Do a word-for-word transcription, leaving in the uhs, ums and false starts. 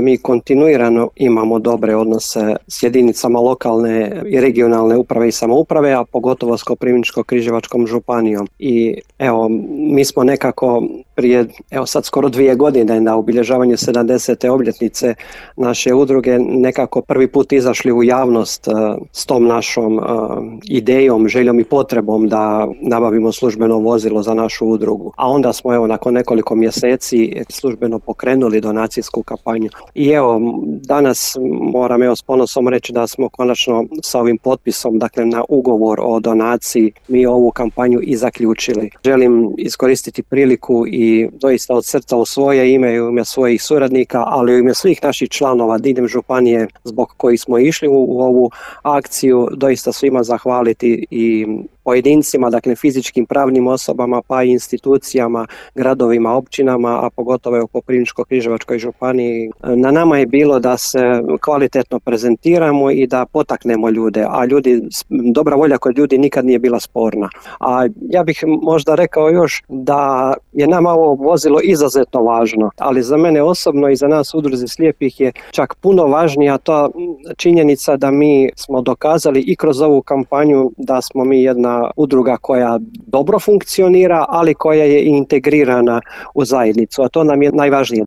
Mi kontinuirano imamo dobre odnose s jedinicama lokalne i regionalne uprave i samouprave, a pogotovo s Koprivničko-križevačkom županijom. I evo, mi smo nekako prije, evo sad skoro dvije godine na obilježavanju sedamdesete obljetnice naše udruge nekako prvi put izašli u javnost uh, s tom našom uh, idejom, željom i potrebom da nabavimo službeno vozilo za našu udrugu. A onda smo evo nakon nekoliko mjeseci službeno pokrenuli donacijsku kampanju. I evo, danas moram evo s ponosom reći da smo konačno sa ovim potpisom, dakle na ugovor o donaciji, mi ovu kampanju i zaključili. Želim iskoristiti priliku i doista od srca u svoje ime i u ime svojih suradnika, ali u ime svih naših članova diljem županije zbog kojih smo išli u, u ovu akciju, doista svima zahvaliti i pojedincima, dakle fizičkim pravnim osobama, pa i institucijama, gradovima, općinama, a pogotovo u Koprivničko-križevačkoj županiji. Na nama je bilo da se kvalitetno prezentiramo i da potaknemo ljude, a ljudi, dobra volja kod ljudi nikad nije bila sporna. A ja bih možda rekao još da je nama ovo vozilo izuzetno važno, ali za mene osobno i za nas u udruzi slijepih je čak puno važnija ta činjenica da mi smo dokazali i kroz ovu kampanju da smo mi jedna udruga koja dobro funkcionira, ali koja je integrirana u zajednicu, a to nam je najvažnije.